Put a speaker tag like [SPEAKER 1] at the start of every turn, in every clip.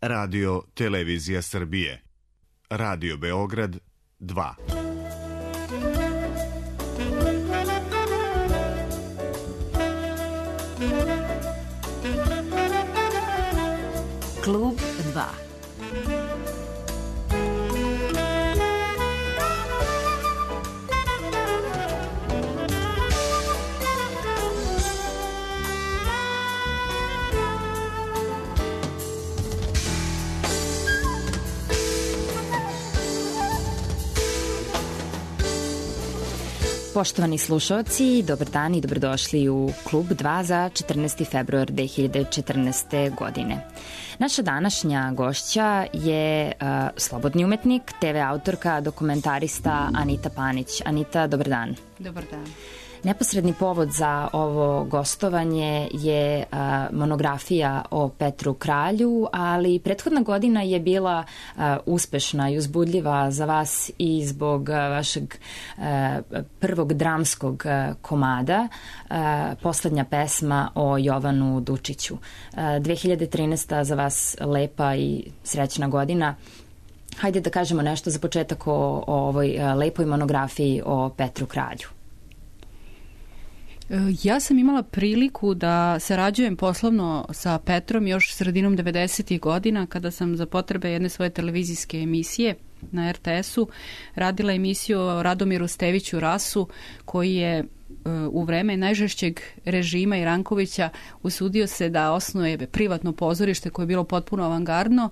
[SPEAKER 1] Radio Televizija Srbije. Radio Beograd 2.
[SPEAKER 2] Klub 2.
[SPEAKER 3] Poštovani slušalci, dobar dan i dobrodošli u Klub 2 za 14. februar 2014. godine. Naša današnja gošća je slobodni umetnik, TV autorka, dokumentarista Anita Panić. Anita, dobar dan.
[SPEAKER 4] Dobar dan.
[SPEAKER 3] Neposredni povod za ovo gostovanje je monografija o Petru Kralju, ali prethodna godina je bila uspešna i uzbudljiva za vas i zbog vašeg prvog dramskog komada, poslednja pesma o Jovanu Dučiću. 2013. za vas lepa i srećna godina. Hajde da kažemo nešto za početak o ovoj lepoj monografiji o Petru Kralju.
[SPEAKER 4] Ja sam imala priliku da sarađujem poslovno sa Petrom još sredinom 90. godina kada sam za potrebe jedne svoje televizijske emisije na RTS-u radila emisiju o Radomiru Steviću Rasu, koji je u vreme najžešćeg režima i Rankovića usudio se da osnuje privatno pozorište koje je bilo potpuno avangardno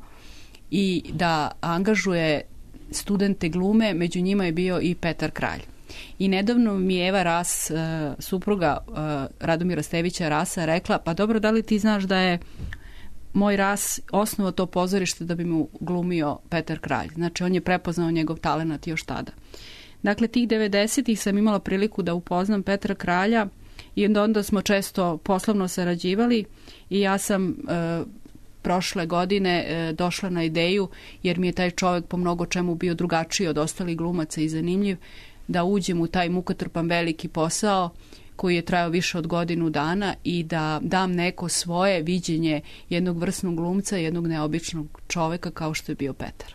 [SPEAKER 4] i da angažuje studente glume, među njima je bio i Petar Kralj. I nedavno mi je Eva Ras, supruga Radomira Stevića Rasa, rekla, pa dobro, da li ti znaš da je moj Ras osnovao to pozorište da bi mu glumio Petar Kralj. Znači, on je prepoznao njegov talenat još tada. Dakle, tih 90-ih sam imala priliku da upoznam Petra Kralja i onda smo često poslovno sarađivali i ja sam prošle godine došla na ideju, jer mi je taj čovjek po mnogo čemu bio drugačiji od ostalih glumaca i zanimljiv, da uđem u taj mukotrpan veliki posao koji je trajao više od godinu dana i da dam neko svoje viđenje jednog vrsnog glumca, jednog neobičnog čoveka kao što je bio Petar.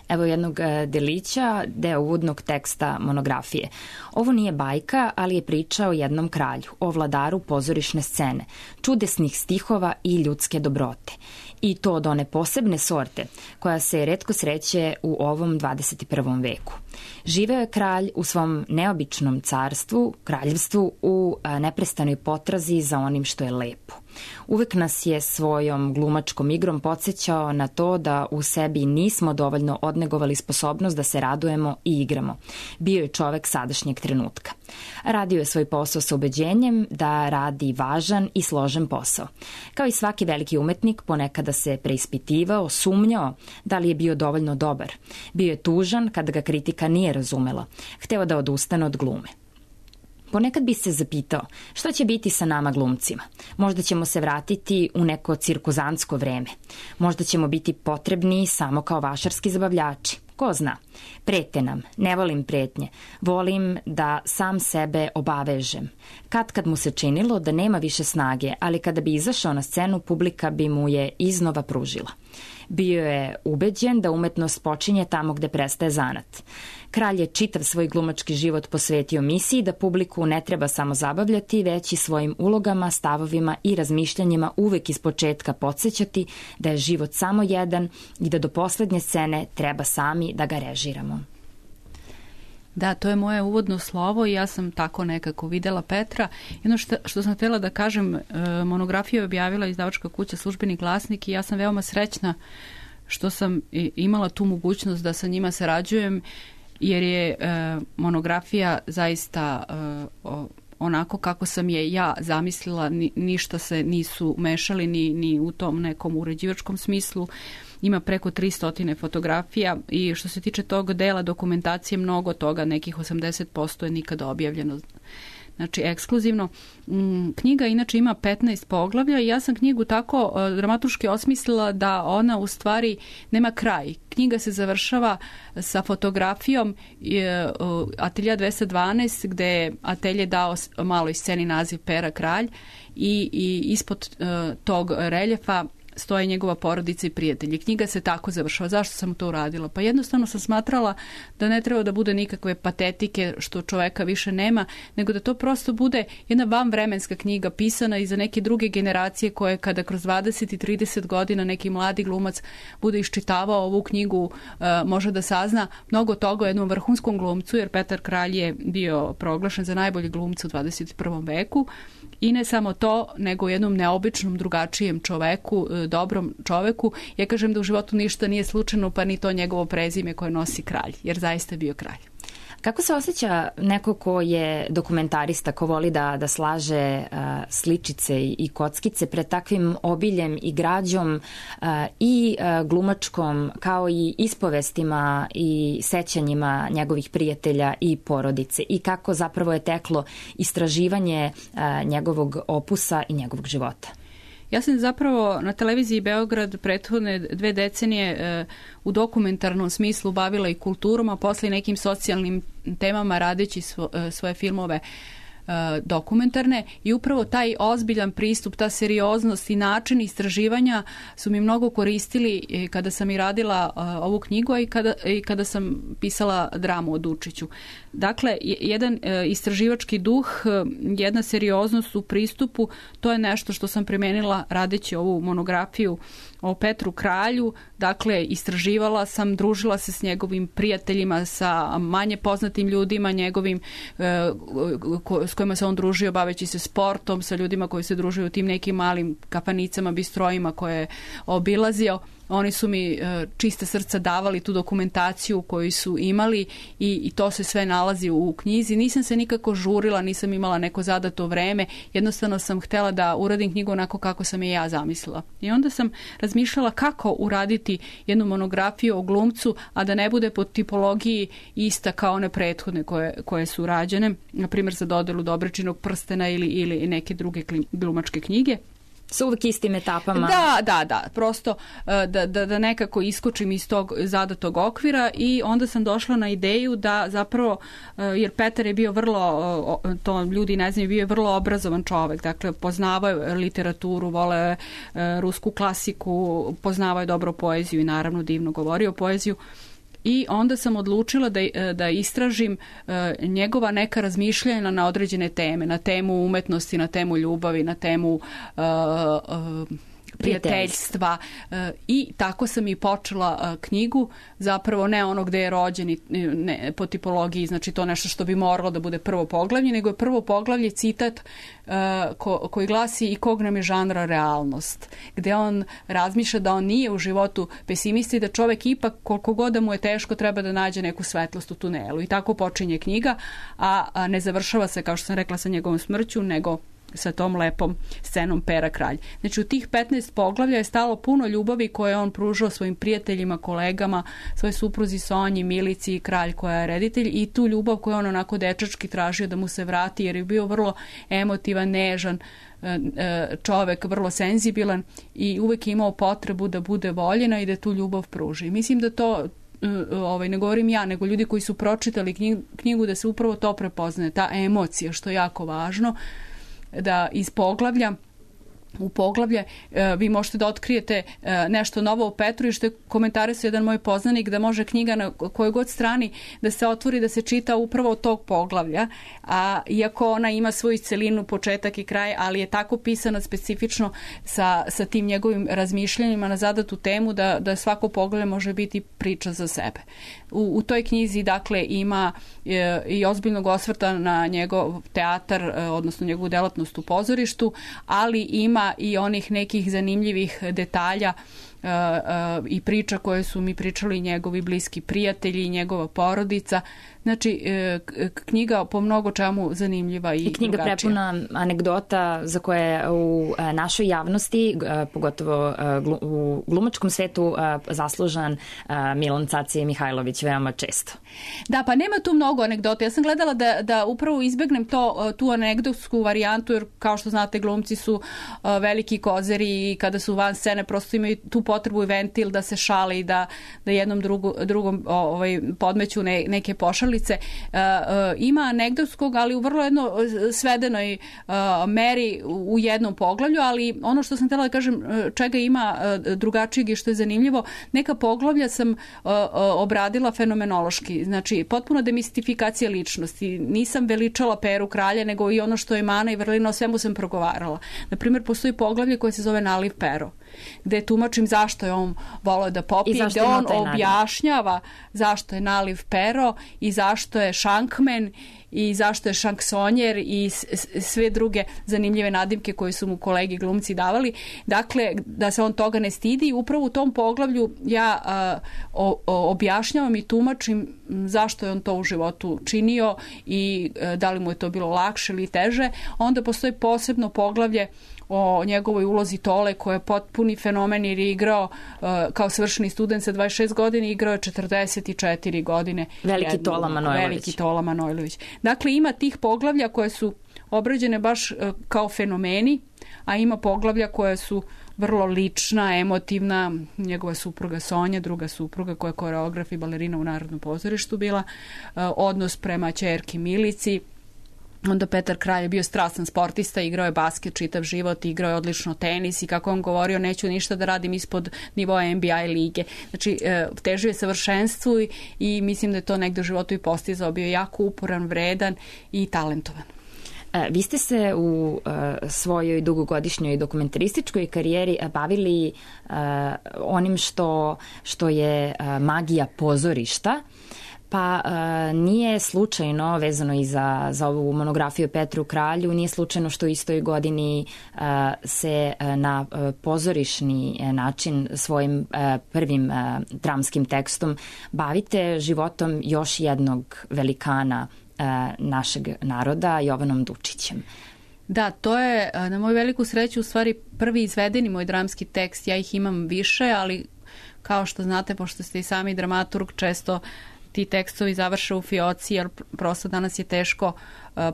[SPEAKER 3] Evo jednog delića, deo uvodnog teksta monografije. Ovo nije bajka, ali je priča o jednom kralju, o vladaru pozorišne scene, čudesnih stihova i ljudske dobrote. I to od one posebne sorte koja se retko sreće u ovom 21. veku. Živeo je kralj u svom neobičnom carstvu, kraljevstvu, u neprestanoj potrazi za onim što je lepo. Uvek nas je svojom glumačkom igrom podsjećao na to da u sebi nismo dovoljno odnegovali sposobnost da se radujemo i igramo. Bio je čovek sadašnjeg trenutka. Radio je svoj posao sa ubeđenjem da radi važan i složen posao. Kao i svaki veliki umetnik, ponekada se preispitivao, sumnjao da li je bio dovoljno dobar. Bio je tužan kada ga kritika nije razumela. Hteo da odustane od glume. Ponekad bi se zapitao šta će biti sa nama glumcima. Možda ćemo se vratiti u neko cirkuzantsko vreme. Možda ćemo biti potrebni samo kao vašarski zabavljači. Ko zna? Prete nam, ne volim pretnje. Volim da sam sebe obavežem. Kad mu se činilo da nema više snage, ali kada bi izašao na scenu, publika bi mu je iznova pružila. Bio je ubeđen da umetnost počinje tamo gde prestaje zanat. Kralj je čitav svoj glumački život posvetio misiji da publiku ne treba samo zabavljati, već i svojim ulogama, stavovima i razmišljanjima uvek iz početka podsjećati da je život samo jedan i da do poslednje scene treba sami da ga režiramo.
[SPEAKER 4] Da, to je moje uvodno slovo i ja sam tako nekako videla Petra. Jedno što sam htjela da kažem, monografiju je objavila izdavačka kuća Službeni glasnik i ja sam veoma srećna što sam imala tu mogućnost da sa njima sarađujem, jer je monografija zaista onako kako sam je ja zamislila, ništa se nisu mešali ni u tom nekom uređivačkom smislu. Ima preko 300 fotografija i što se tiče tog dela dokumentacije, mnogo toga, nekih 80% je nikada objavljeno. Znači, ekskluzivno. Knjiga inače ima 15 poglavlja i ja sam knjigu tako dramaturški osmislila da ona u stvari nema kraj. Knjiga se završava sa fotografijom Atelja 212 gde je atelje dao maloj sceni naziv Pera Kralj i ispod tog reljefa stoje njegova porodica i prijatelji. Knjiga se tako završava. Zašto sam to uradila? Pa jednostavno sam smatrala da ne treba da bude nikakve patetike što čoveka više nema, nego da to prosto bude jedna vanvremenska knjiga pisana i za neke druge generacije koje kada kroz 20 i 30 godina neki mladi glumac bude iščitavao ovu knjigu, može da sazna mnogo toga o jednom vrhunskom glumcu, jer Petar Kralj je bio proglašen za najbolji glumca u 21. veku. I ne samo to, nego jednom neobičnom, drugačijem čoveku, dobrom čoveku. Ja kažem da u životu ništa nije slučajno, pa ni to njegovo prezime koje nosi kralj, jer zaista je bio kralj.
[SPEAKER 3] Kako se osjeća neko ko je dokumentarista, ko voli da slaže sličice i kockice pred takvim obiljem i građom i glumačkom, kao i ispovestima i sećanjima njegovih prijatelja i porodice, i kako zapravo je teklo istraživanje njegovog opusa i njegovog života?
[SPEAKER 4] Ja sam zapravo na televiziji Beograd prethodne 2 decenije u dokumentarnom smislu bavila i kulturom, a posle i nekim socijalnim temama radeći svoje filmove dokumentarne, i upravo taj ozbiljan pristup, ta serioznost i način istraživanja su mi mnogo koristili kada sam i radila ovu knjigu i kada sam pisala dramu o Dučiću. Dakle, jedan istraživački duh, jedna serioznost u pristupu, to je nešto što sam primenila radeći ovu monografiju o Petru Kralju. Dakle, istraživala sam, družila se s njegovim prijateljima, sa manje poznatim ljudima njegovim, s kojima se on družio baveći se sportom, sa ljudima koji se družuju u tim nekim malim kafanicama, bistrojima koje je obilazio. Oni su mi čista srca davali tu dokumentaciju koju su imali i to se sve nalazi u knjizi. Nisam se nikako žurila, nisam imala neko zadato vreme, jednostavno sam htela da uradim knjigu onako kako sam je ja zamislila. I onda sam razmišljala kako uraditi jednu monografiju o glumcu, a da ne bude po tipologiji ista kao one prethodne koje su rađene, na primjer za dodelu Dobričinog prstena ili neke druge glumačke knjige.
[SPEAKER 3] Sa uvijek istim etapama.
[SPEAKER 4] Da, prosto da nekako iskočim iz tog zadatog okvira, i onda sam došla na ideju da zapravo, jer Petar je bio vrlo, to ljudi ne znaju, bio je vrlo obrazovan čovek, dakle poznavao je literaturu, voleo je rusku klasiku, poznavao je dobro poeziju i naravno divno govorio poeziju. I onda sam odlučila da istražim njegova neka razmišljanja na određene teme, na temu umetnosti, na temu ljubavi, na temu prijateljstva, i tako sam i počela knjigu, zapravo ne ono gde je rođen, ne po tipologiji, znači to nešto što bi moralo da bude prvo poglavlje, nego je prvo poglavlje citat koji glasi: i kog nam je žanra realnost, gde on razmišlja da on nije u životu pesimista i da čovek ipak, koliko god da mu je teško, treba da nađe neku svetlost u tunelu. I tako počinje knjiga, a ne završava se, kao što sam rekla, sa njegovom smrću, nego sa tom lepom scenom Pera Kralj. Znači u tih 15 poglavlja je stalo puno ljubavi koje je on pružao svojim prijateljima, kolegama, svoje supruzi Sonji, Milici i Kralj koja je reditelj, i tu ljubav koju on onako dečački tražio da mu se vrati, jer je bio vrlo emotivan, nežan čovek, vrlo senzibilan i uvek je imao potrebu da bude voljena i da tu ljubav pruži. Mislim da to ne govorim ja, nego ljudi koji su pročitali knjigu, da se upravo to prepoznaje, ta emocija, što je jako važno, da iz poglavlja u poglavlje vi možete da otkrijete nešto novo o Petru, i što je komentarisao jedan moj poznanik, da može knjiga na kojoj god strani da se otvori, da se čita upravo od tog poglavlja, a iako ona ima svoju celinu, početak i kraj, ali je tako pisana specifično sa tim njegovim razmišljanjima na zadatu temu da svako poglavlje može biti priča za sebe. U toj knjizi dakle ima i ozbiljnog osvrta na njegov teatar, odnosno njegovu delatnost u pozorištu, ali ima i onih nekih zanimljivih detalja i priča koje su mi pričali njegovi bliski prijatelji i njegova porodica. Znači, knjiga po mnogo čemu zanimljiva i
[SPEAKER 3] knjiga
[SPEAKER 4] drugačija.
[SPEAKER 3] Prepuna anegdota za koje u našoj javnosti, pogotovo u glumačkom svetu, zaslužan Milan Cacije Mihajlović veoma često.
[SPEAKER 4] Da, pa nema tu mnogo anegdota. Ja sam gledala da upravo izbegnem tu anegdotsku varijantu, jer kao što znate, glumci su veliki kozeri i kada su van scene prosto imaju tu potrebu i ventil da se šale i da jednom drugom podmeću neke pošale. poznalice. Ima anegdotskog, ali u vrlo jedno svedenoj meri u jednom poglavlju, ali ono što sam htjela da kažem, čega ima drugačijeg i što je zanimljivo, neka poglavlja sam obradila fenomenološki, znači potpuno demistifikacija ličnosti. Nisam veličala Peru kralja, nego i ono što je mana i vrlina, o svemu sam progovarala. Naprimjer, postoji poglavlje koje se zove Naliv Pero, gde tumačim zašto je on voleo da popije, gde on objašnjava zašto je Naliv Pero i zašto je šankmen i zašto je šanksonjer i sve druge zanimljive nadimke koje su mu kolegi glumci davali. Dakle, da se on toga ne stidi. Upravo u tom poglavlju ja objašnjavam i tumačim zašto je on to u životu činio i da li mu je to bilo lakše ili teže. Onda postoji posebno poglavlje o njegovoj ulozi Tole, koja je potpuni fenomen jer je igrao kao svršeni student sa 26 godina i igrao je 44 godine.
[SPEAKER 3] Veliki Tola
[SPEAKER 4] Manojlović. Dakle, ima tih poglavlja koje su obrađene baš kao fenomeni, a ima poglavlja koje su vrlo lična, emotivna. Njegova supruga Sonja, druga supruga koja je koreograf i balerina u Narodnom pozorištu bila, odnos prema ćerki Milici. Onda Petar Kralj je bio strastan sportista, igrao je basket čitav život, igrao je odlično tenis i kako on govorio, neću ništa da radim ispod nivoa NBA lige. Znači, težio je savršenstvu i mislim da je to negde u životu i postizao. Bio je jako uporan, vredan i talentovan.
[SPEAKER 3] Vi ste se u svojoj dugogodišnjoj dokumentarističkoj karijeri bavili onim što je magija pozorišta. Pa nije slučajno, vezano i za ovu monografiju Petru Kralju, nije slučajno što u istoj godini se na pozorišni način svojim prvim dramskim tekstom bavite životom još jednog velikana našeg naroda, Jovanom Dučićem.
[SPEAKER 4] Da, to je na moju veliku sreću u stvari prvi izvedeni moj dramski tekst. Ja ih imam više, ali kao što znate, pošto ste i sami dramaturg, često ti tekstovi završe u fioci, jer prosto danas je teško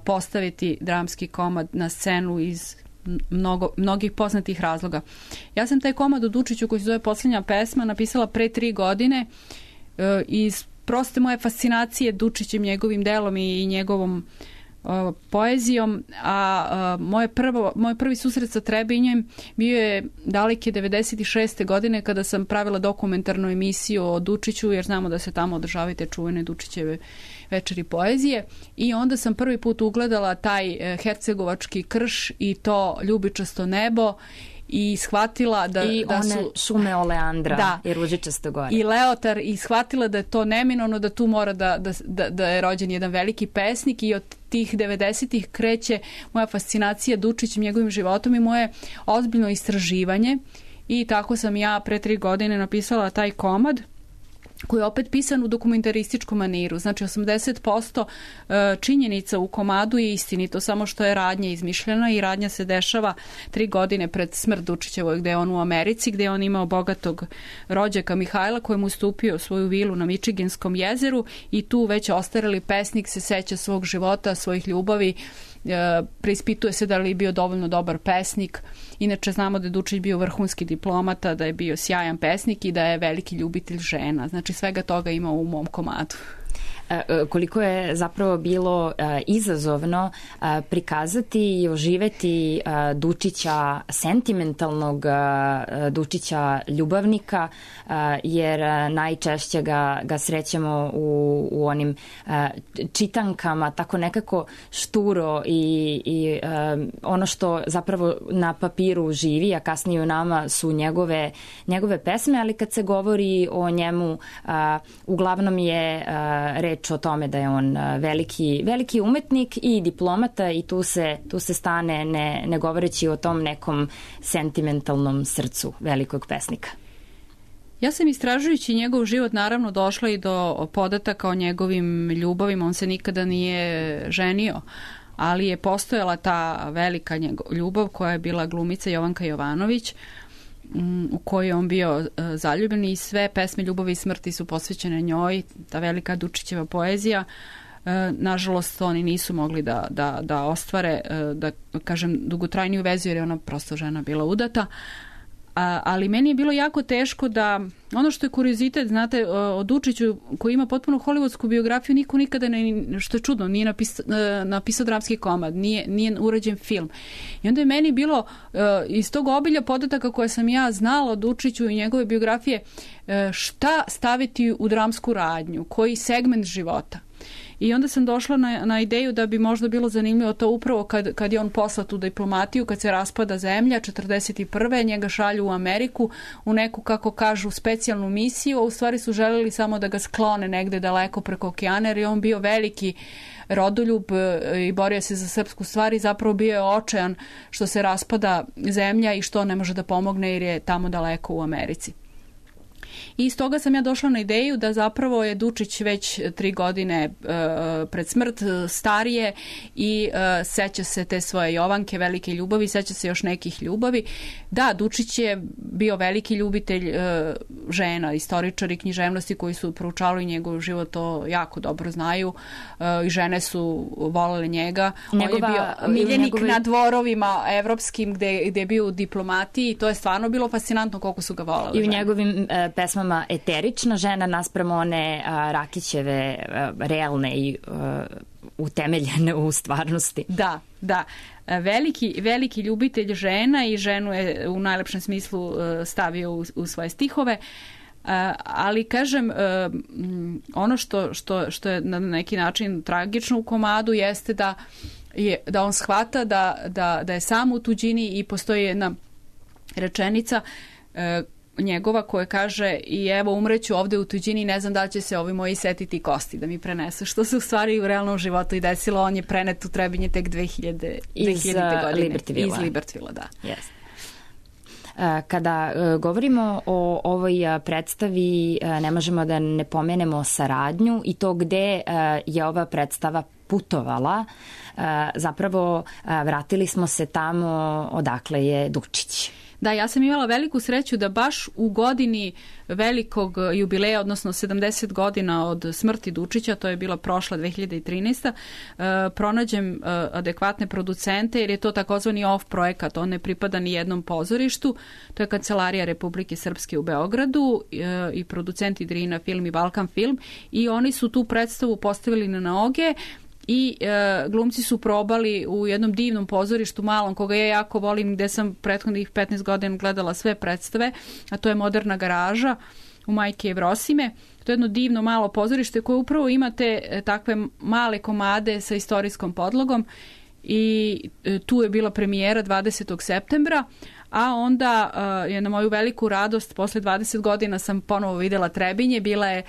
[SPEAKER 4] postaviti dramski komad na scenu iz mnogih poznatih razloga. Ja sam taj komad u Dučiću, koji se zove Posljednja pesma, napisala pre 3 godine iz proste moje fascinacije Dučićem, njegovim delom i njegovom poezijom, a moj prvi susret sa Trebinjem bio je daleke 96. godine kada sam pravila dokumentarnu emisiju o Dučiću, jer znamo da se tamo održavaju te čuvene Dučićeve večeri poezije, i onda sam prvi put ugledala taj hercegovački krš i to ljubičasto nebo i shvatila da
[SPEAKER 3] one
[SPEAKER 4] su
[SPEAKER 3] šume oleandra i ružičasto gore.
[SPEAKER 4] I leotar, i shvatila da je to neminovno, da tu mora da je rođen jedan veliki pesnik, i od tih 90-ih kreće moja fascinacija Dučićem, njegovim životom i moje ozbiljno istraživanje, i tako sam ja pre 3 godine napisala taj komad, koji je opet pisan u dokumentarističkom maniru. Znači 80% činjenica u komadu je istinito, samo što je radnja izmišljena, i radnja se dešava 3 godine pred smrt Dučićevoj, gde je on u Americi, gde je on imao bogatog rođaka Mihajla koji mu ustupio svoju vilu na Mičiganskom jezeru, i tu već ostareli pesnik se seća svog života, svojih ljubavi, preispituje se da li je bio dovoljno dobar pesnik. Inače znamo da je Dučić bio vrhunski diplomata, da je bio sjajan pesnik i da je veliki ljubitelj žena. Znači svega toga ima u mom komadu.
[SPEAKER 3] Koliko je zapravo bilo izazovno prikazati i oživeti Dučića sentimentalnog, Dučića ljubavnika, jer najčešće ga srećemo u onim čitankama, tako nekako šturo i ono što zapravo na papiru živi, a kasnije u nama su njegove pesme, ali kad se govori o njemu uglavnom je reč o tome da je on veliki umetnik i diplomata, i tu se stane ne govoreći o tom nekom sentimentalnom srcu velikog pesnika.
[SPEAKER 4] Ja sam istražujući njegov život naravno došla i do podataka o njegovim ljubavima. On se nikada nije ženio, ali je postojala ta velika ljubav koja je bila glumica Jovanka Jovanović, u kojoj je on bio zaljubljen, i sve pesme ljubavi i smrti su posvećene njoj, ta velika Dučićeva poezija. Nažalost, oni nisu mogli da ostvare, da kažem, dugotrajniju vezu, jer je ona prosto žena bila udata, ali meni je bilo jako teško da, ono što je kuriozitet, znate, o Dučiću koji ima potpuno hollywoodsku biografiju, niko nikada, što je čudno, nije napisao dramski komad, nije urađen film. I onda je meni bilo iz tog obilja podataka koje sam ja znala o Dučiću i njegove biografije, šta staviti u dramsku radnju, koji segment života. I onda sam došla na ideju da bi možda bilo zanimljivo to upravo kad je on poslat u diplomatiju, kad se raspada zemlja 41. njega šalju u Ameriku u neku, kako kažu, specijalnu misiju, a u stvari su želeli samo da ga sklone negde daleko preko okeana, jer je on bio veliki rodoljub i borio se za srpsku stvar i zapravo bio je očajan što se raspada zemlja i što ne može da pomogne jer je tamo daleko u Americi. I iz toga sam ja došla na ideju da zapravo je Dučić već 3 godine pred smrt, starije i seća se te svoje Jovanke, velike ljubavi, seća se još nekih ljubavi. Da, Dučić je bio veliki ljubitelj žena, istoričari književnosti koji su proučavali njegov život, to jako dobro znaju i žene su volele njega. On je bio miljenik na dvorovima evropskim gde je bio u diplomatiji i to je stvarno bilo fascinantno koliko su ga volele.
[SPEAKER 3] I u njegovim pesmama eterična žena naspram one Rakićeve realne i utemeljene u stvarnosti.
[SPEAKER 4] Da. Veliki ljubitelj žena i ženu je u najlepšem smislu stavio u svoje stihove. Ali kažem, ono što je na neki način tragično u komadu jeste da on shvata da je sam u tuđini i postoji jedna rečenica njegova koja kaže i evo umreću ovde u tuđini, ne znam da li će se ovi moji setiti kosti da mi prenesu, što se u stvari u realnom životu i desilo. On je prenet u Trebinje tek 2000. godine. Iz Libertvilla, da.
[SPEAKER 3] Yes. Kada govorimo o ovoj predstavi, ne možemo da ne pomenemo saradnju i to gde je ova predstava putovala. Zapravo vratili smo se tamo odakle je Dučić.
[SPEAKER 4] Da, ja sam imala veliku sreću da baš u godini velikog jubileja, odnosno 70 godina od smrti Dučića, to je bila prošla 2013. Pronađem adekvatne producente, jer je to takozvani off projekat, on ne pripada ni jednom pozorištu. To je Kancelarija Republike Srpske u Beogradu i producenti Drina Film i Balkan Film i oni su tu predstavu postavili na noge i glumci su probali u jednom divnom pozorištu malom, koga ja jako volim, gde sam prethodnih 15 godina gledala sve predstave, a to je Moderna garaža u Majke Jevrosime. To je jedno divno malo pozorište koje upravo ima te takve male komade sa istorijskom podlogom i tu je bila premijera 20. septembra, a onda je na moju veliku radost posle 20 godina sam ponovo videla Trebinje. Bila je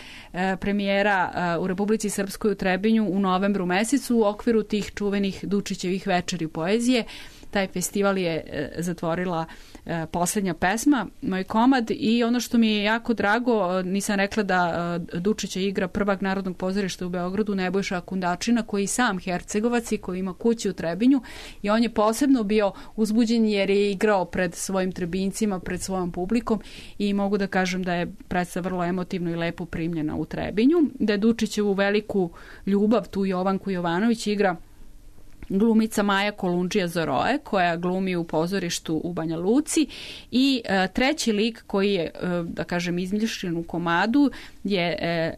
[SPEAKER 4] premijera u Republici Srpskoj u Trebinju u novembru mesecu u okviru tih čuvenih Dučićevih večeri poezije. Taj festival je zatvorila poslednja pesma, moj komad, i ono što mi je jako drago, nisam rekla da Dučića igra prvak Narodnog pozorišta u Beogradu, Nebojša Kundačina, koji je sam Hercegovac i koji ima kuću u Trebinju, i on je posebno bio uzbuđen jer je igrao pred svojim Trebincima, pred svojom publikom, i mogu da kažem da je predstava vrlo emotivno i lepo primljena u Trebinju, da je Dučićevu veliku ljubav, tu Jovanku Jovanović, igra glumica Maja Kolundžija Zoroje, koja glumi u pozorištu u Banja Luci, i treći lik koji je, da kažem, izmišljen u komadu je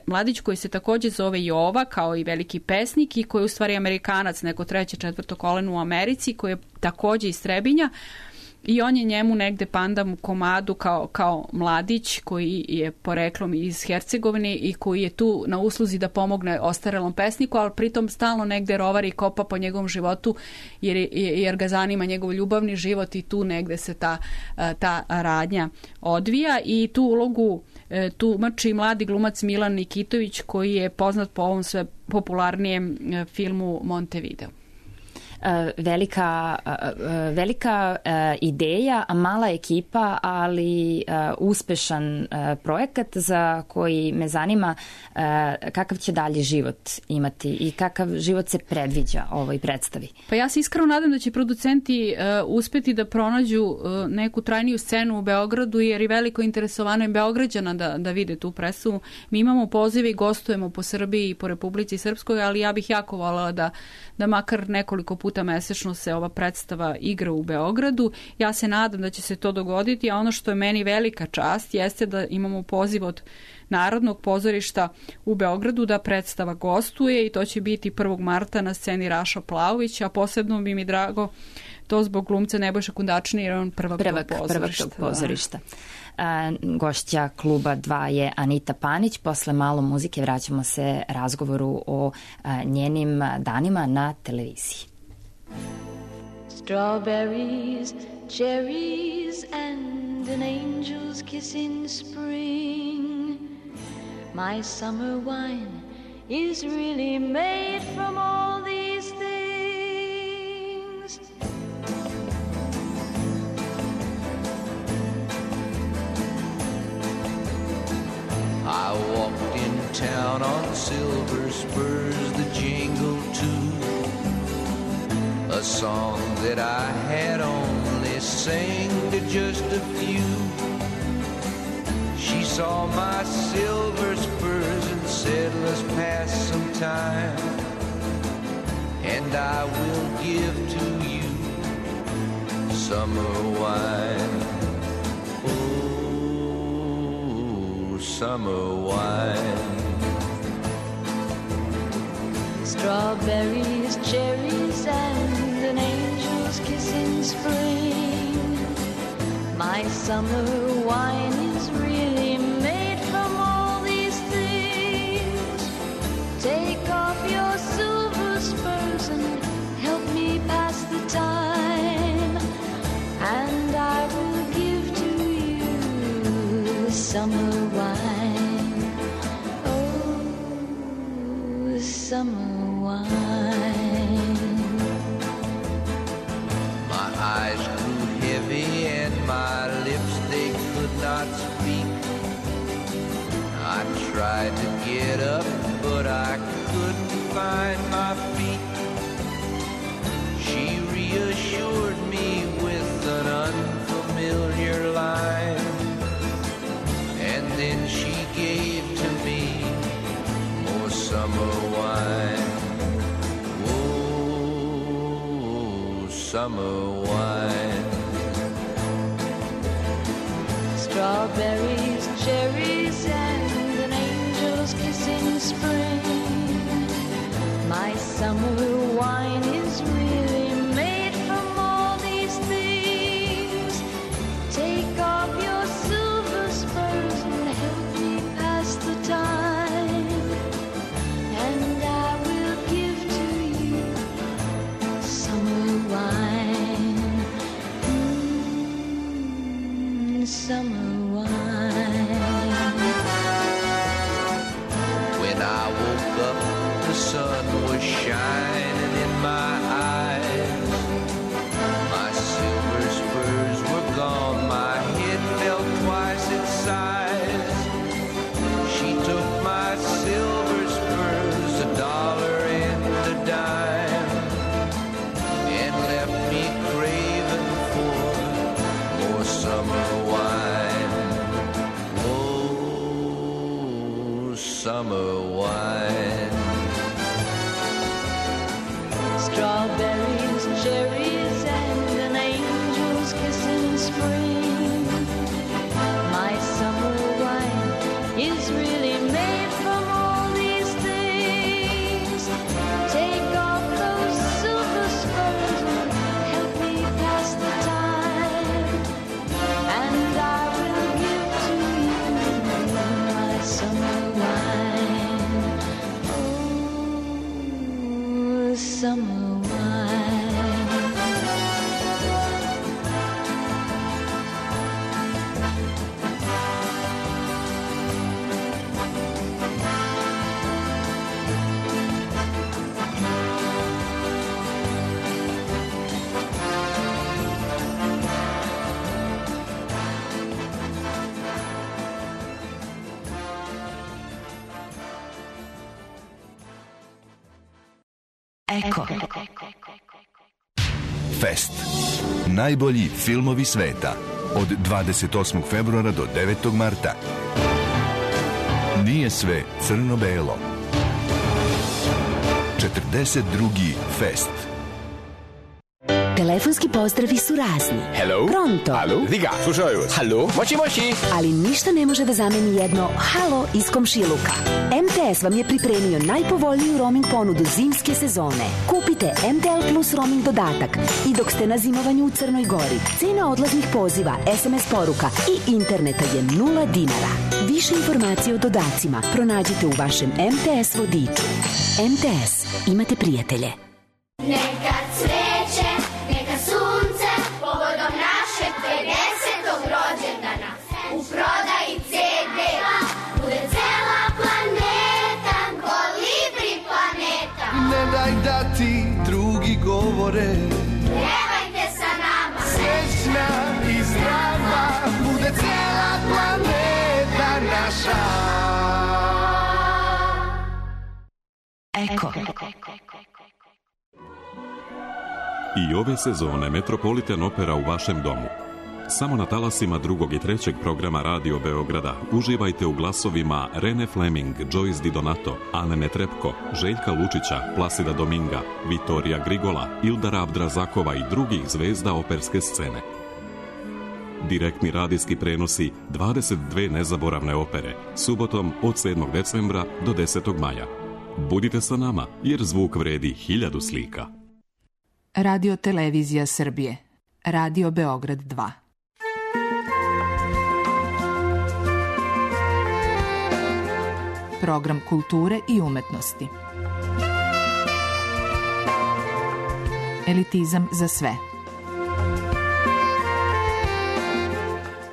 [SPEAKER 4] mladić koji se takođe zove Jova, kao i veliki pesnik, i koji je u stvari Amerikanac, neko treće, četvrto koleno u Americi, koji je takođe iz Trebinja. I on je njemu negde pandam u komadu kao mladić koji je poreklom iz Hercegovine i koji je tu na usluzi da pomogne ostarelom pesniku, ali pritom stalno negde rovari i kopa po njegovom životu jer ga zanima njegov ljubavni život, i tu negde se ta radnja odvija. I tu ulogu tumači mladi glumac Milan Nikitović, koji je poznat po ovom sve popularnijem filmu Montevideo.
[SPEAKER 3] Velika ideja, mala ekipa, ali uspešan projekat za koji me zanima kakav će dalje život imati i kakav život se predviđa ovoj predstavi.
[SPEAKER 4] Pa ja se iskreno nadam da će producenti uspeti da pronađu neku trajniju scenu u Beogradu, jer je veliko interesovano i Beograđana da vide tu predstavu. Mi imamo pozive i gostujemo po Srbiji i po Republici Srpskoj, ali ja bih jako voljela da makar nekoliko puta puta mesečno se ova predstava igra u Beogradu. Ja se nadam da će se to dogoditi, a ono što je meni velika čast jeste da imamo poziv od Narodnog pozorišta u Beogradu da predstava gostuje i to će biti 1. marta na sceni Raša Plavović, a posebno bi mi drago to zbog glumca Nebojša Kundačina jer je on prvak tog pozorišta.
[SPEAKER 3] Gošća kluba 2 je Anita Panić. Posle malo muzike vraćamo se razgovoru o njenim danima na televiziji.
[SPEAKER 2] Strawberries, cherries and an angel's kiss in spring. My summer wine is really made from all these things.
[SPEAKER 5] I walked in town on silver spurs that jingle too, a song that I had only sang to just a few. She saw my silver spurs and said, let's pass some time, and I will give to you summer wine. Oh, summer wine.
[SPEAKER 2] Strawberries, cherries, and an angel's kiss in spring. My summer wine is really made from all these things. Take off your silver spurs and help me pass the time, and I will give to you summer wine. Oh, summer wine.
[SPEAKER 5] My eyes grew heavy and my lips, they could not speak. I tried to get up, but I couldn't find my feet. She reassured me with an unfamiliar line, and then she gave to me more summer wine. Oh, summer wine.
[SPEAKER 2] Strawberries, cherries, and an angel's kiss in spring. My summer wine is really made from all these things. Take off your silver spurs and help me pass the time, and I will give to you summer wine. Summer wine.
[SPEAKER 5] When I woke up, the sun was shining in my eyes. My silver spurs were gone, my head felt twice its size. She took my silver spurs, $1 and a dime, and left me craving for more summer wine. Oh, summer wine.
[SPEAKER 2] Strawberries, cherries, and an angel's kiss in spring. My summer wine is really made from all these things. Take off those silver spurs and help me pass the time, and I will give to you my summer wine. Oh, summer
[SPEAKER 6] Eko. Fest. Najbolji filmovi sveta. Od 28. februara do 9. marta. Nije sve crno-belo. 42. Fest.
[SPEAKER 7] Telefonski pozdravi su razni.
[SPEAKER 8] Hello?
[SPEAKER 7] Pronto.
[SPEAKER 8] Alo? Diga, slušaju vas. Halo? Moći.
[SPEAKER 7] Ali ništa ne može da zameni jedno halo iz komšiluka. MTS vam je pripremio najpovoljniju roaming ponudu zimske sezone. Kupite MTL Plus roaming dodatak i dok ste na zimovanju u Crnoj Gori, cena odlaznih poziva, SMS poruka i interneta je 0 dinara. Više informacije o dodacima pronađite u vašem MTS vodiču. MTS. Imate prijatelje.
[SPEAKER 9] Neka cveće, neka sunce, povodom našeg 50. rođendana. U prodaji CD-a bude cela planeta, Kolibri planeta.
[SPEAKER 5] Ne daj da ti drugi govore,
[SPEAKER 9] Pjevajte sa nama,
[SPEAKER 5] srećna i zdrava, bude cela planeta naša.
[SPEAKER 7] Eko.
[SPEAKER 10] I ove sezone Metropolitan Opera u vašem domu. Samo na talasima drugog i trećeg programa Radio Beograda uživajte u glasovima Rene Fleming, Joyce Di Donato, Ane Netrepko, Željka Lučića, Plasida Dominga, Vitorija Grigola, Ildara Abdrazakova i drugih zvezda operske scene. Direktni radijski prenosi 22 nezaboravne opere, subotom od 7. decembra do 10. maja. Budite sa nama, jer zvuk vredi 1000 slika.
[SPEAKER 11] Radio Televizija Srbije. Radio Beograd 2. Program kulture i umetnosti. Elitizam za sve.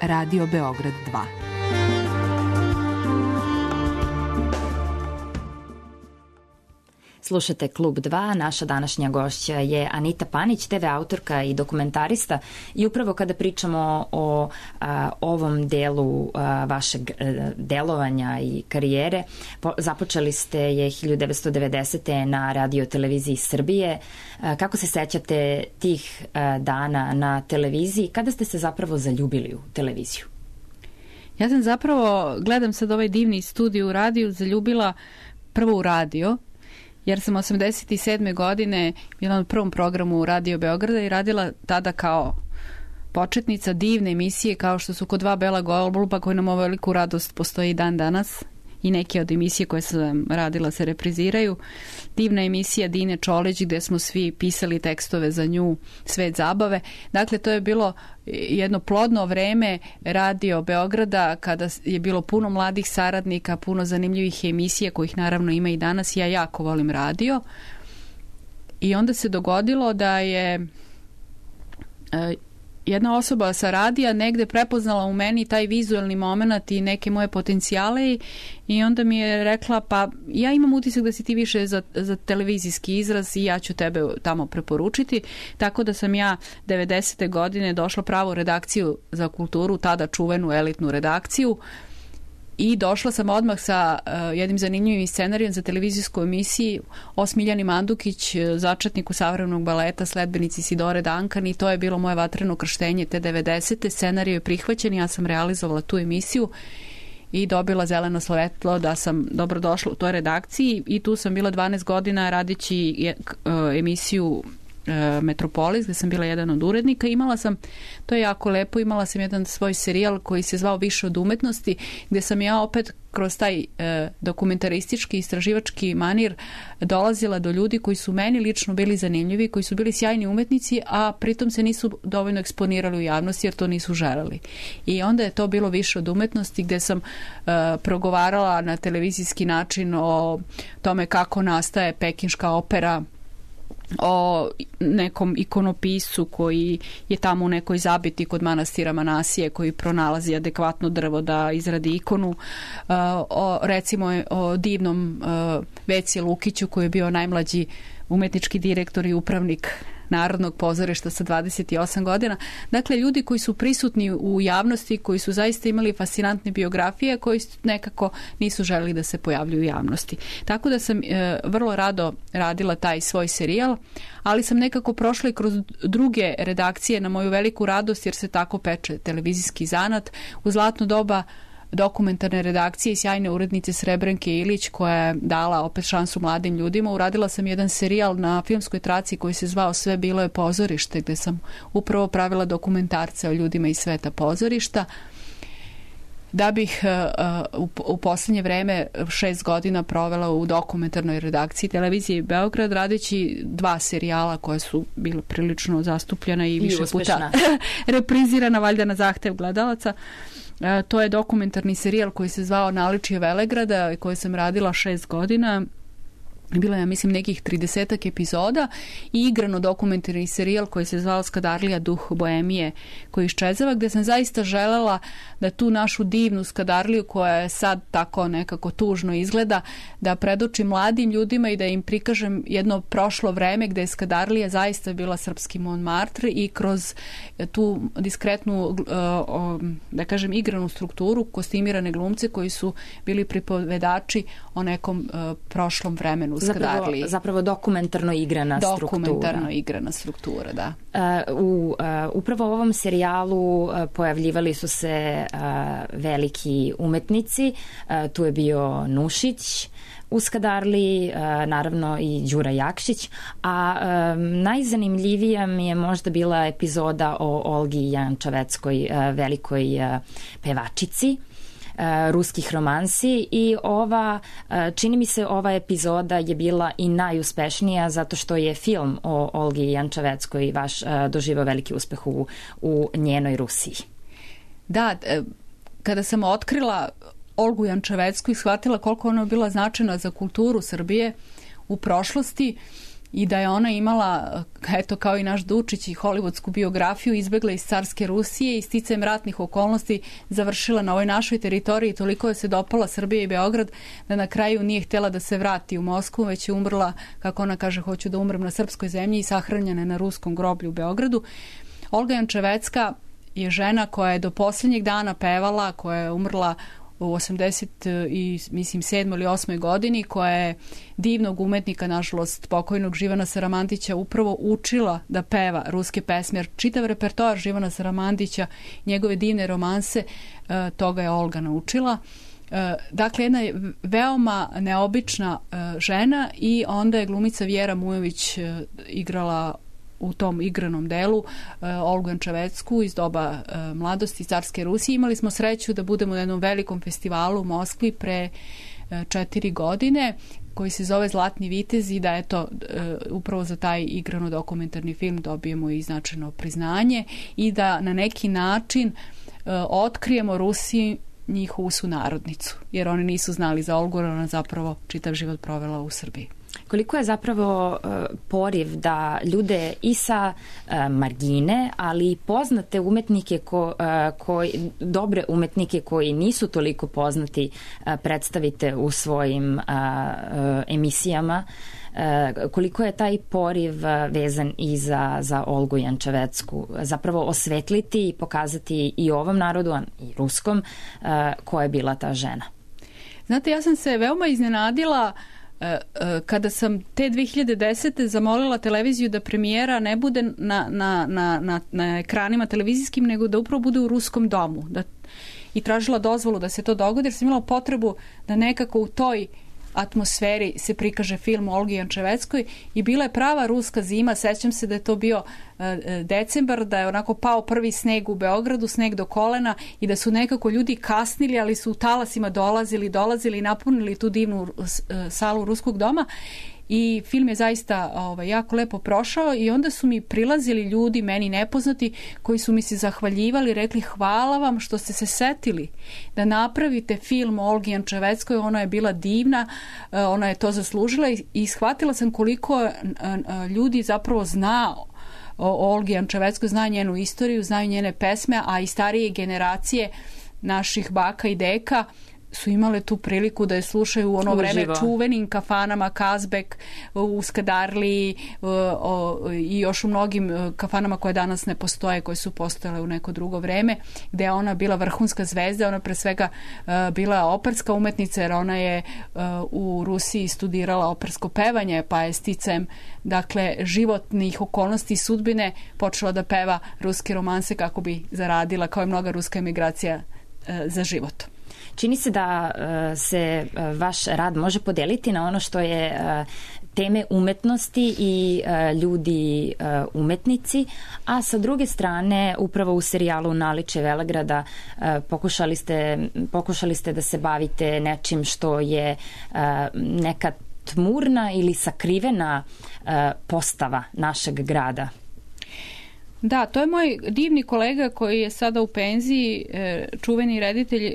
[SPEAKER 11] Radio Beograd 2.
[SPEAKER 3] Slušate Klub 2, naša današnja gošća je Anita Panić, TV autorka i dokumentarista i upravo kada pričamo o ovom delu vašeg delovanja i karijere, započeli ste je 1990. na Radio Televiziji Srbije. Kako se sećate tih dana na televiziji? Kada ste se zapravo zaljubili u televiziju?
[SPEAKER 4] Ja sam zapravo, gledam sad ovaj divni studij u radiju, zaljubila prvo u radio, jer sam 87. godine bila na prvom programu Radio Beograda i radila tada kao početnica divne emisije kao što su Ko dva bela goluba, koji nam ovu veliku radost postoji i dan danas i neke od emisije koje sam radila se repriziraju. Divna emisija Dine Čolić gde smo svi pisali tekstove za nju, Svet zabave. Dakle, to je bilo jedno plodno vreme Radio Beograda kada je bilo puno mladih saradnika, puno zanimljivih emisija kojih naravno ima i danas. Ja jako volim radio. I onda se dogodilo da je jedna osoba sa radija negde prepoznala u meni taj vizualni moment i neke moje potencijale i onda mi je rekla, pa ja imam utisak da si ti više za televizijski izraz i ja ću tebe tamo preporučiti. Tako da sam ja 90. godine došla pravo u redakciju za kulturu, tada čuvenu elitnu redakciju, i došla sam odmah sa jednim zanimljivim scenarijem za televizijsku emisiju o Smiljani Mandukić, začetniku savremenog baleta, sledbenici Sidore Duncan, i to je bilo moje vatreno krštenje te 90. Scenarij je prihvaćen, ja sam realizovala tu emisiju i dobila zeleno svetlo da sam dobrodošla u toj redakciji i tu sam bila 12 godina radići emisiju Metropolis, gde sam bila jedan od urednika. Imala sam, to je jako lepo, imala sam jedan svoj serijal koji se zvao Više od umetnosti, gde sam ja opet kroz taj dokumentaristički, istraživački manir dolazila do ljudi koji su meni lično bili zanimljivi, koji su bili sjajni umetnici, a pritom se nisu dovoljno eksponirali u javnosti jer to nisu želeli. I onda je to bilo Više od umetnosti, gde sam progovarala na televizijski način o tome kako nastaje pekinška opera, o nekom ikonopisu koji je tamo u nekoj zabiti kod manastira Manasije, koji pronalazi adekvatno drvo da izradi ikonu, recimo o divnom Veci Lukiću koji je bio najmlađi umetnički direktor i upravnik Narodnog pozorišta sa 28 godina. Dakle, ljudi koji su prisutni u javnosti, koji su zaista imali fascinantne biografije, koji nekako nisu želeli da se pojavljuju u javnosti. Tako da sam vrlo rado radila taj svoj serijal, ali sam nekako prošla i kroz druge redakcije na moju veliku radost, jer se tako peče televizijski zanat. U zlatno doba dokumentarne redakcije i sjajne urednice Srebrenke Ilić, koja je dala opet šansu mladim ljudima. Uradila sam jedan serijal na filmskoj traci koji se zvao Sve bilo je pozorište, gde sam upravo pravila dokumentarce o ljudima iz sveta pozorišta. Da bih u poslednje vreme 6 godina provela u dokumentarnoj redakciji televizije Beograd, radeći 2 serijala koja su bila prilično zastupljena i više puta reprizirana, valjda na zahtev gledalaca. To je dokumentarni serijal koji se zvao Naličje Velegrada, koji sam radila 6 godina. Bilo je, ja mislim, nekih 30 epizoda i igrano dokumentarni serijal koji se zvao Skadarlija, duh boemije koji iščezava, gde sam zaista želela da tu našu divnu Skadarliju, koja je sad tako nekako tužno izgleda, da predočim mladim ljudima i da im prikažem jedno prošlo vreme gde je Skadarlija zaista bila srpski Montmartre i kroz tu diskretnu, da kažem, igranu strukturu, kostimirane glumce koji su bili pripovedači o nekom prošlom vremenu.
[SPEAKER 3] Zapravo dokumentarno igrana
[SPEAKER 4] struktura, da.
[SPEAKER 3] Upravo u ovom serijalu pojavljivali su se veliki umetnici. Tu je bio Nušić u Skadarliji, naravno i Đura Jakšić, a najzanimljivija mi je možda bila epizoda o Olgi Jančaveckoj, velikoj pevačici ruskih romansi, i čini mi se ova epizoda je bila i najuspešnija zato što je film o Olgi Jančaveckoj vaš doživao veliki uspeh u njenoj Rusiji.
[SPEAKER 4] Da, kada sam otkrila Olgu Jančavecku i shvatila koliko ona bila značajna za kulturu Srbije u prošlosti i da je ona imala, eto kao i naš Dučić, i hollywoodsku biografiju, izbegla iz carske Rusije i sticajem ratnih okolnosti završila na ovoj našoj teritoriji, toliko je se dopala Srbija i Beograd da na kraju nije htjela da se vrati u Moskvu, već je umrla, kako ona kaže, hoću da umrem na srpskoj zemlji, i sahranjena na ruskom groblju u Beogradu. Olga Jančavecka je žena koja je do posljednjeg dana pevala, koja je umrla u 87. ili 8. godini, koja je divnog umetnika, nažalost pokojnog Živana Saramandića, upravo učila da peva ruske pesme, jer čitav repertoar Živana Saramandića, njegove divne romanse, toga je Olga naučila. Dakle, jedna je veoma neobična žena, i onda je glumica Vjera Mujović igrala u tom igranom delu Olgu Jančavecku iz doba mladosti carske Rusije. Imali smo sreću da budemo na jednom velikom festivalu u Moskvi pre 4 godine, koji se zove Zlatni vitez, i da eto upravo za taj igrano dokumentarni film dobijemo i značajno priznanje i da na neki način otkrijemo Rusiji njihovu sunarodnicu, jer oni nisu znali za Olgu, ona zapravo čitav život provela u Srbiji.
[SPEAKER 3] Koliko je zapravo poriv da ljude i sa margine, ali i poznate umetnike, dobre umetnike koji nisu toliko poznati, predstavite u svojim emisijama, koliko je taj poriv vezan i za Olgu Jančavecku, zapravo osvetliti i pokazati i ovom narodu, i ruskom, koja je bila ta žena?
[SPEAKER 4] Znate, ja sam se veoma iznenadila kada sam te 2010. zamolila televiziju da premijera ne bude na ekranima televizijskim, nego da upravo bude u Ruskom domu. I tražila dozvolu da se to dogodi, jer sam imala potrebu da nekako u toj atmosferi se prikaže film o Olgi Jančaveckoj, i bila je prava ruska zima. Sećam se da je to bio decembar, da je onako pao prvi sneg u Beogradu, sneg do kolena, i da su nekako ljudi kasnili, ali su u talasima dolazili i napunili tu divnu salu Ruskog doma. I film je zaista jako lepo prošao, i onda su mi prilazili ljudi, meni nepoznati, koji su mi se zahvaljivali, rekli hvala vam što ste se setili da napravite film o Olgi Jančaveckoj, ona je bila divna, ona je to zaslužila, i shvatila sam koliko ljudi zapravo zna o Olgi Jančaveckoj, zna njenu istoriju, znaju njene pesme, a i starije generacije naših baka i deka su imale tu priliku da je slušaju u ono vreme čuvenim kafanama Kazbek u Skadarliji i još u mnogim kafanama koje danas ne postoje, koje su postojale u neko drugo vreme, gde je ona bila vrhunska zvezda. Ona pre svega bila operska umetnica, jer ona je u Rusiji studirala opersko pevanje, pa je sticajem životnih okolnosti i sudbine počela da peva ruske romanse kako bi zaradila, kao i mnoga ruska emigracija, za život.
[SPEAKER 3] Čini se da se vaš rad može podeliti na ono što je teme umetnosti i ljudi umetnici, a sa druge strane upravo u serijalu Naličje Velegrada pokušali ste da se bavite nečim što je neka tmurna ili sakrivena postava našeg grada.
[SPEAKER 4] Da, to je moj divni kolega koji je sada u penziji, čuveni reditelj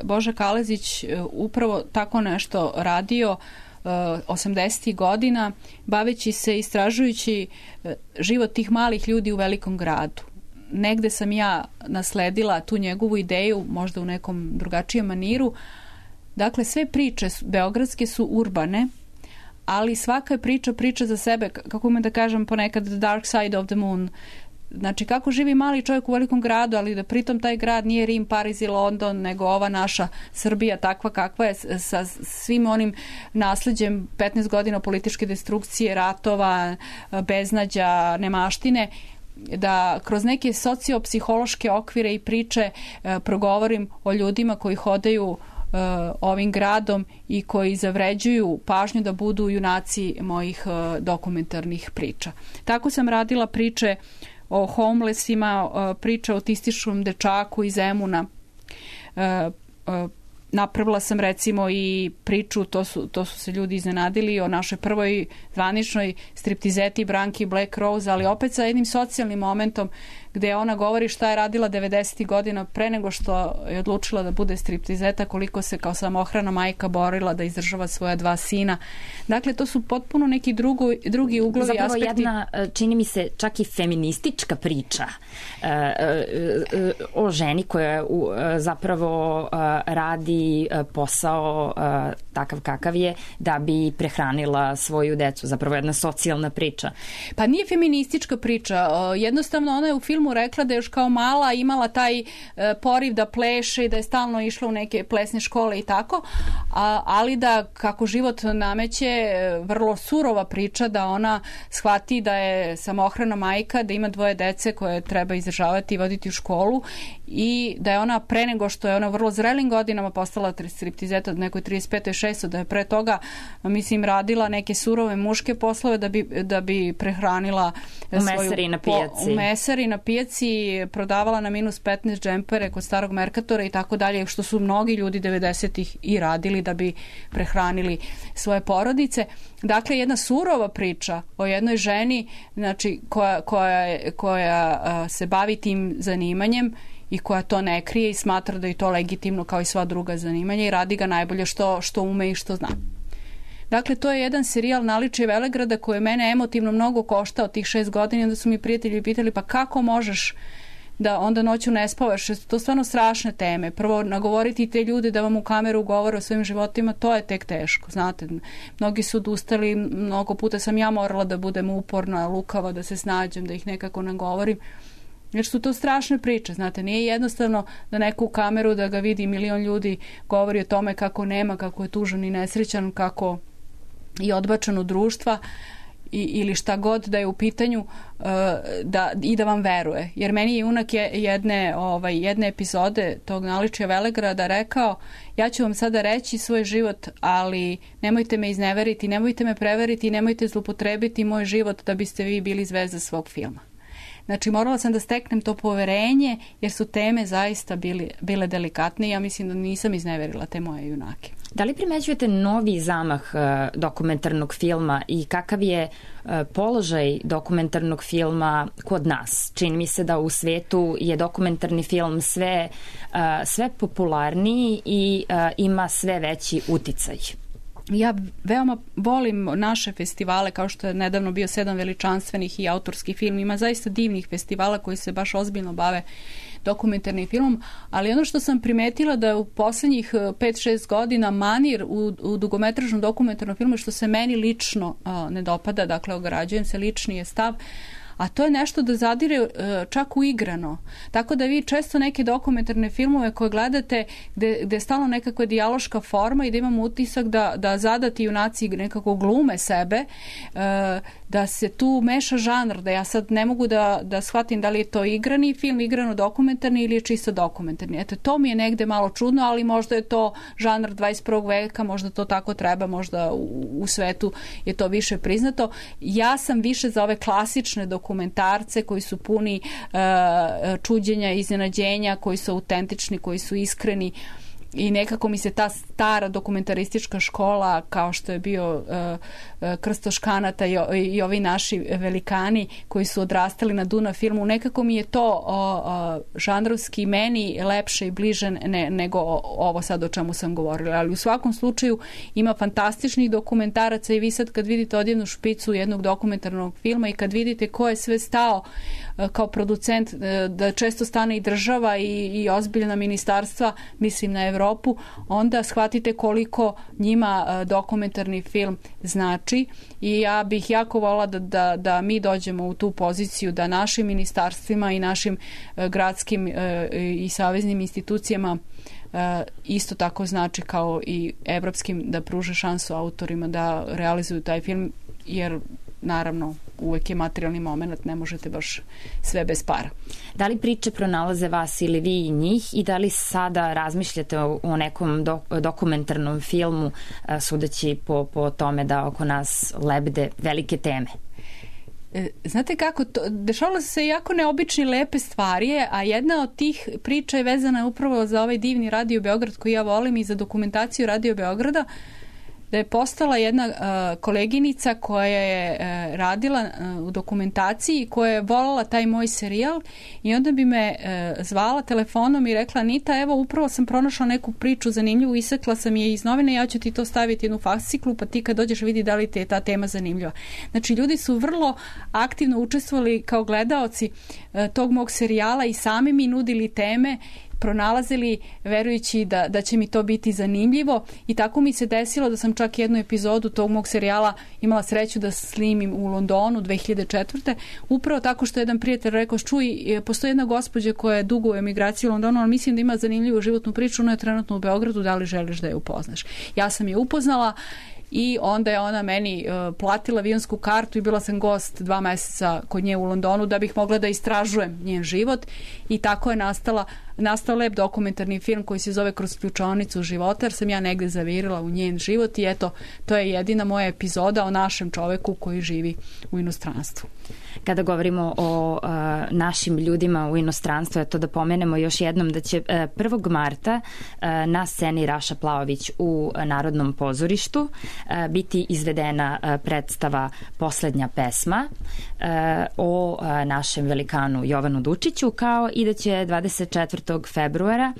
[SPEAKER 4] Boža Kalezić, upravo tako nešto radio 80. godina, baveći se, istražujući život tih malih ljudi u velikom gradu. Negde sam ja nasledila tu njegovu ideju, možda u nekom drugačijem maniru. Dakle, sve priče beogradske su urbane, ali svaka je priča za sebe, kako imam da kažem ponekad the dark side of the moon. Znači, kako živi mali čovjek u velikom gradu, ali da pritom taj grad nije Rim, Pariz i London, nego ova naša Srbija takva kakva je, sa svim onim nasleđem 15 godina političke destrukcije, ratova, beznađa, nemaštine, da kroz neke sociopsihološke okvire i priče progovorim o ljudima koji hodaju ovim gradom i koji zavređuju pažnju da budu junaci mojih dokumentarnih priča. Tako sam radila priče o homelessima, priča o autističnom dečaku iz Zemuna. Napravila sam recimo i priču, to su se ljudi iznenadili, o našoj prvoj zvaničnoj striptizeti Branki Black Rose, ali opet sa jednim socijalnim momentom gde ona govori šta je radila 90. godina pre nego što je odlučila da bude striptizeta, koliko se kao samohrana majka borila da izdržava svoja 2 sina. Dakle, to su potpuno neki drugi uglovi,
[SPEAKER 3] zapravo
[SPEAKER 4] aspekti.
[SPEAKER 3] Jedna, čini mi se, čak i feministička priča o ženi koja zapravo radi posao takav kakav je da bi prehranila svoju decu. Zapravo jedna socijalna priča.
[SPEAKER 4] Pa nije feministička priča. Jednostavno ona je u filmu rekla da je još kao mala imala taj poriv da pleše i da je stalno išla u neke plesne škole i tako, ali da kako život nameće vrlo surova priča, da ona shvati da je samohrana majka, da ima 2 dece koje treba izdržavati i voditi u školu i da je ona pre nego što je ona vrlo zrelim godinama postala striptizeta od nekoj 35. 6. da je pre toga, mislim, radila neke surove muške poslove da bi prehranila
[SPEAKER 3] u mesari na pijaci.
[SPEAKER 4] U mesari na pijaci, prodavala na minus 15 džempere kod starog Merkatora i tako dalje, što su mnogi ljudi 90-ih i radili da bi prehranili svoje porodice. Dakle, jedna surova priča o jednoj ženi, znači, koja se bavi tim zanimanjem i koja to ne krije i smatra da je to legitimno kao i sva druga zanimanja i radi ga najbolje što ume i što zna. Dakle, to je jedan serijal Naličje Velegrada koji je mene emotivno mnogo koštao tih 6 godina i onda su mi prijatelji pitali pa kako možeš da onda noću ne spavaš, to je stvarno strašne teme. Prvo, nagovoriti te ljude da vam u kameru govore o svojim životima, to je tek teško, znate. Mnogi su odustali, mnogo puta sam ja morala da budem uporna, lukava, da se snađem, da ih nekako nagovorim. Jer su to strašne priče, znate, nije jednostavno da neku u kameru da ga vidi milion ljudi govori o tome kako nema, kako je tužan i nesrećan, kako je odbačen od društva ili šta god da je u pitanju i da vam veruje. Jer meni je junak jedne epizode tog Naličja Velegrada rekao, ja ću vam sada reći svoj život, ali nemojte me izneveriti, nemojte me preveriti, nemojte zlupotrebiti moj život da biste vi bili zvezda svog filma. Znači, morala sam da steknem to poverenje, jer su teme zaista bile delikatne i ja mislim da nisam izneverila te moje junake.
[SPEAKER 3] Da li primećujete novi zamah dokumentarnog filma i kakav je položaj dokumentarnog filma kod nas? Čini mi se da u svetu je dokumentarni film sve popularniji i ima sve veći uticaj.
[SPEAKER 4] Ja veoma volim naše festivale, kao što je nedavno bio 7 veličanstvenih i autorski film. Ima zaista divnih festivala koji se baš ozbiljno bave dokumentarnim filmom, ali ono što sam primetila da je u poslednjih 5-6 godina manir u dugometražnom dokumentarnom filmu, što se meni lično ne dopada, dakle ograđujem se, lični je stav, a to je nešto da zadire čak u igrano. Tako da vi često neke dokumentarne filmove koje gledate gde je stalno nekakva dijaloška forma i da imamo utisak da zadati junaci nekako glume sebe, da se tu meša žanr, da ja sad ne mogu da shvatim da li je to igrani film, igrano dokumentarni ili je čisto dokumentarni. Eto, to mi je negde malo čudno, ali možda je to žanr 21. veka, možda to tako treba, možda u svetu je to više priznato. Ja sam više za ove klasične dokumentarce koji su puni čuđenja, iznenađenja, koji su autentični, koji su iskreni. I nekako mi se ta stara dokumentaristička škola, kao što je bio Krsto Škanata i ovi naši velikani koji su odrastali na Dunav filmu, nekako mi je to žanrovski meni lepše i bliže nego ovo sad o čemu sam govorila. Ali u svakom slučaju ima fantastičnih dokumentaraca i vi sad kad vidite odjednu špicu jednog dokumentarnog filma i kad vidite ko je sve stao kao producent, da često stane i država i ozbiljna ministarstva, mislim na Evropu, onda shvatite koliko njima dokumentarni film znači i ja bih jako volila da mi dođemo u tu poziciju da našim ministarstvima i našim gradskim i saveznim institucijama isto tako znači kao i evropskim, da pruže šansu autorima da realizuju taj film, jer naravno uvek je materijalni moment, ne možete baš sve bez para.
[SPEAKER 3] Da li priče pronalaze vas ili vi i njih i da li sada razmišljate o nekom dokumentarnom filmu, sudeći po tome da oko nas lebde velike teme?
[SPEAKER 4] Znate kako, dešavalo se jako neobične lepe stvari, a jedna od tih priča je vezana upravo za ovaj divni Radio Beograd koji ja volim i za dokumentaciju Radio Beograda, da je postala jedna koleginica koja je radila u dokumentaciji, koja je volala taj moj serijal i onda bi me zvala telefonom i rekla: Anita, evo upravo sam pronašla neku priču zanimljivu, isekla sam je iz novine, ja ću ti to staviti jednu fasciklu, pa ti kad dođeš vidi da li ti je ta tema zanimljiva. Znači, ljudi su vrlo aktivno učestvovali kao gledaoci tog mog serijala i sami mi nudili teme, pronalazili verujući da će mi to biti zanimljivo i tako mi se desilo da sam čak jednu epizodu tog mog serijala imala sreću da snimim u Londonu 2004. Upravo tako što je jedan prijatelj rekao: čuj, postoji jedna gospođa koja je dugo u emigraciji u Londonu, ali mislim da ima zanimljivu životnu priču, ona je trenutno u Beogradu, da li želiš da je upoznaš? Ja sam je upoznala i onda je ona meni platila avionsku kartu i bila sam gost 2 meseca kod nje u Londonu da bih mogla da istražujem njen život i tako je nastao lep dokumentarni film koji se zove Kroz ključaonicu života, jer sam ja negde zavirila u njen život i eto, to je jedina moja epizoda o našem čoveku koji živi u inostranstvu.
[SPEAKER 3] Kada govorimo o našim ljudima u inostranstvu, eto da pomenemo još jednom da će 1. marta na sceni Raša Plaović u Narodnom pozorištu biti izvedena predstava Poslednja pesma o našem velikanu Jovanu Dučiću, kao i da će 24. februara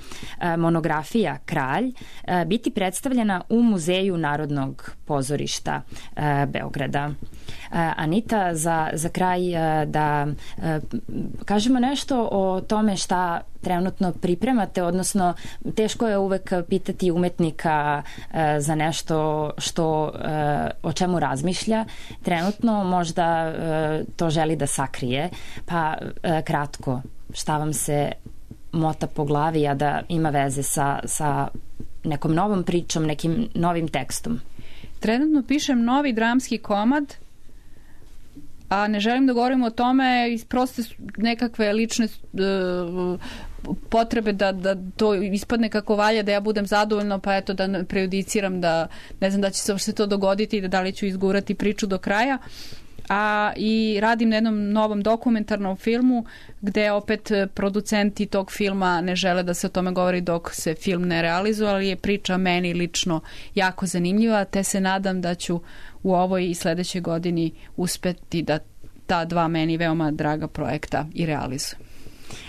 [SPEAKER 3] monografija Kralj biti predstavljena u Muzeju Narodnog pozorišta Beograda. Anita, za kraj da kažemo nešto o tome šta trenutno pripremate, odnosno teško je uvek pitati umetnika za nešto o čemu razmišlja. Trenutno možda to želi da sakrije, pa kratko, šta vam se mota po glavi, a da ima veze sa nekom novom pričom, nekim novim tekstom?
[SPEAKER 4] Trenutno pišem novi dramski komad, a ne želim da govorim o tome iz proste nekakve lične potrebe da to ispadne kako valja, da ja budem zadovoljna, pa eto da prejudiciram, da ne znam da će se uopšte to dogoditi i da li ću izgurati priču do kraja. I radim na jednom novom dokumentarnom filmu gde opet producenti tog filma ne žele da se o tome govori dok se film ne realizuje, ali je priča meni lično jako zanimljiva, te se nadam da ću u ovoj i sledećoj godini uspeti da ta 2 meni veoma draga projekta i realizujem.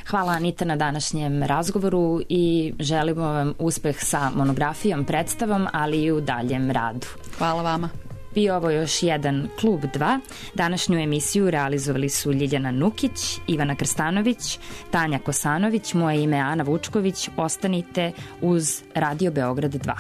[SPEAKER 3] Hvala Anita na današnjem razgovoru i želimo vam uspeh sa monografijom, predstavom, ali i u daljem radu.
[SPEAKER 4] Hvala vama.
[SPEAKER 3] I ovo još jedan Klub 2. Današnju emisiju realizovali su Ljiljana Nukić, Ivana Krstanović, Tanja Kosanović, moje ime je Ana Vučković. Ostanite uz Radio Beograd 2.